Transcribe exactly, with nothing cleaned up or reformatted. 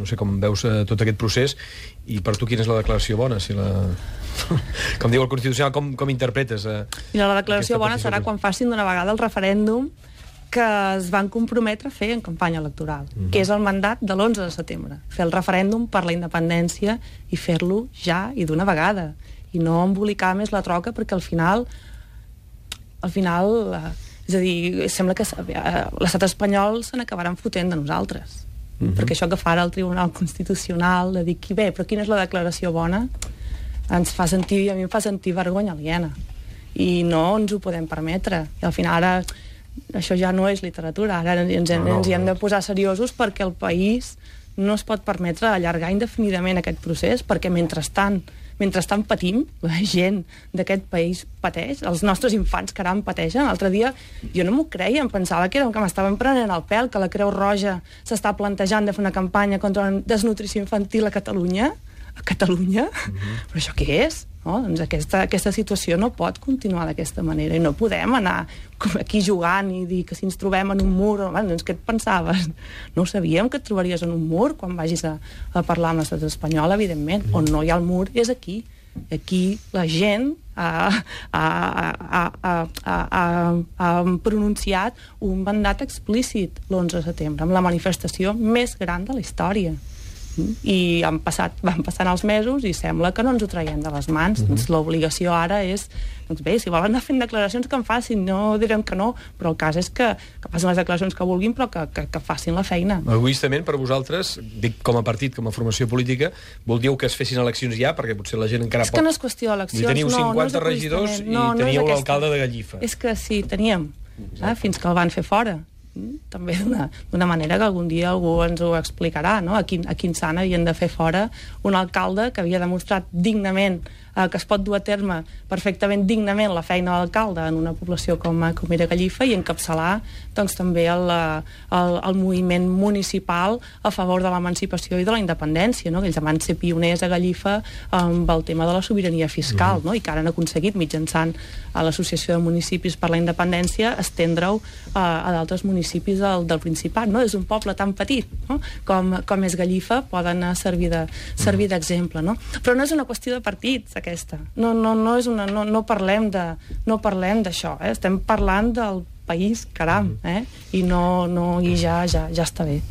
no sé com veus eh, tot aquest procés, i per tu quina és la declaració bona? Si la... com diu el Constitucional, com, com interpretes? Eh, Mira, la declaració bona serà quan facin d'una vegada el referèndum que es van comprometre a fer en campanya electoral, uh-huh. que és el mandat de l'onze de setembre. Fer el referèndum per la independència i fer-lo ja i d'una vegada. I no embolicar més la troca, perquè al final... al final... Eh, és a dir, sembla que eh, l'estat espanyol se n'acabaran fotent de nosaltres. Uh-huh. Perquè això que farà el Tribunal Constitucional de dir, bé, però quina és la declaració bona? Ens fa sentir, i a mi em fa sentir vergonya aliena. I no ens ho podem permetre. I al final ara això ja no és literatura, ara ens, no, no, ens hi hem de posar seriosos, perquè el país no es pot permetre allargar indefinidament aquest procés, perquè mentrestant mentrestant patim, la gent d'aquest país pateix, els nostres infants caram pateixen. L'altre dia jo no m'ho creia, em pensava que, era, que m'estaven prenent el pèl, que la Creu Roja s'està plantejant de fer una campanya contra la desnutrició infantil a Catalunya. A Catalunya? Mm-hmm. Però això què és? No? Doncs aquesta, aquesta situació no pot continuar d'aquesta manera, i no podem anar aquí jugant i dir que si ens trobem en un mur, doncs què et pensaves? No ho sabíem, que et trobaries en un mur quan vagis a, a parlar amb l'estat espanyol, evidentment. On no hi ha el mur és aquí. Aquí la gent ha, ha, ha, ha, ha, ha, ha pronunciat un mandat explícit l'onze de setembre, amb la manifestació més gran de la història. I han passat, van passant els mesos i sembla que no ens ho traiem de les mans. Mm-hmm. Doncs l'obligació ara és, doncs bé, si volen anar fent declaracions que en facin, no direm que no, però el cas és que, que facin les declaracions que vulguin, però que, que, que facin la feina. Egoistament, per vosaltres, dic com a partit, com a formació política, vol dir que es fessin eleccions ja, perquè potser la gent encara és pot... És que no és qüestió d'eleccions, teniu no, cinquanta no regidors i no, no teníeu l'alcalde de Gallifa. És que sí, teníem, eh, fins que el van fer fora. També d'una manera que algun dia algú ens ho explicarà, no? A quin, a quin sant havien de fer fora un alcalde que havia demostrat dignament eh, que es pot dur a terme perfectament dignament la feina de l'alcalde en una població com, com era Gallifa, i encapçalar doncs, també el, el, el moviment municipal a favor de l'emancipació i de la independència, no? Que ells van ser pioners a Gallifa amb el tema de la sobirania fiscal, mm-hmm. no? I que ara han aconseguit, mitjançant a l'Associació de Municipis per la Independència, estendre-ho eh, a d'altres municipis del, del Principat, no? És un poble tan petit, no? com, com és Gallifa, poden servir de, servir d'exemple, no? Però no és una qüestió de partits, aquesta. No, no, no, és una, no, no parlem de, no parlem d'això, eh? Estem parlant del país, caram, eh? I no, no, i ja, ja, ja està bé.